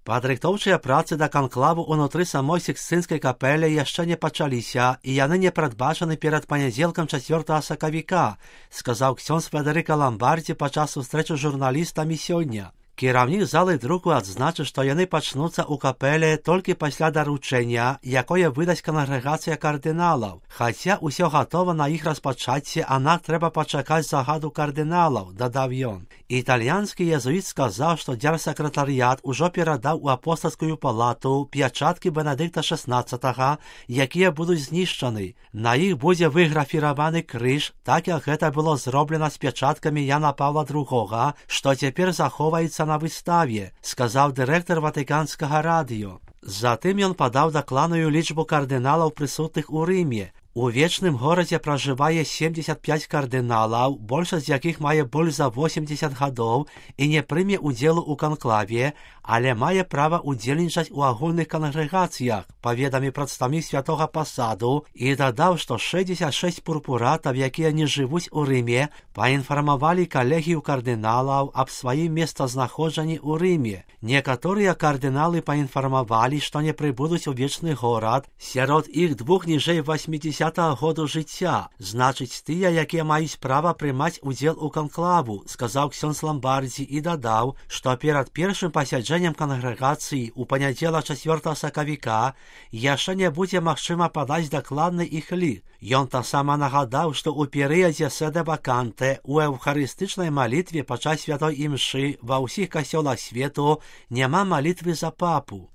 Падрыхтоўчыя працы да канклаву ўнутры самой Сікстынскай капэлі яшчэ не пачаліся, і яны не прадбачаны перад панядзелкам 4 сакавіка, сказаў ксёндз Федэрыка Ламбардзі падчас сустрэчы з журналістамі сёння. Кіраўнік залы друку адзначыў, што яны пачнуцца ў капэле толькі пасля даручэння, якое выдасць кангрэгацыя кардыналаў. Хаця ўсё гатова на іх распачацце, аднак трэба пачакаць загаду кардыналаў, дадаў ён. Італьянскі езуіт сказаў, што дзяржсакратарыят ужо перадаў у апостальскую палату пячаткі Бенедыкта XVI, якія будуць знішчаны. На іх будзе выграфіраваны крыж, так як гэта было зроблена з пячаткамі Яна Павла II, што цяпер захоўваецца на выставе, сказаў дырэктар Ватыканскага радыё. Затым ён падаў дакладную лічбу кардыналаў прысутных у Рыме. У вечным горадзе пражывае 75 кардыналаў, большасць з якіх мае больш за 80 гадоў і не прыме ўдзелу ў канклаве, але мае права ўдзельнічаць у агульных кангрэгацыях, паведаміў прадстаўнік святога пасаду і дадаў, што 66 пурпуратаў, якія не жывуць у Рыме, паінфармавалі калегію кардыналаў аб сваім месцазнаходжанні ў Рыме. Некаторыя кардыналы паінфармавалі, што не прыбудуць у вечны горад, сярод іх двух ніжэй 80-го году жыцця, значыць тыя, якія маюць права прымаць удзел у канклаву, сказаў ксёндз Ламбардзі і дадаў, што перад першым пасяджэннем кангрэгацыі ў панядзелак 4 сакавіка яшчэ не будзе магчыма падаць дакладны іх лік. Ён таксама нагадаў, што ў перыядзе седе ваканте у эўхарыстычнай малітве падчас святой імшы ва ўсіх касцёлах свету няма малітвы за папу.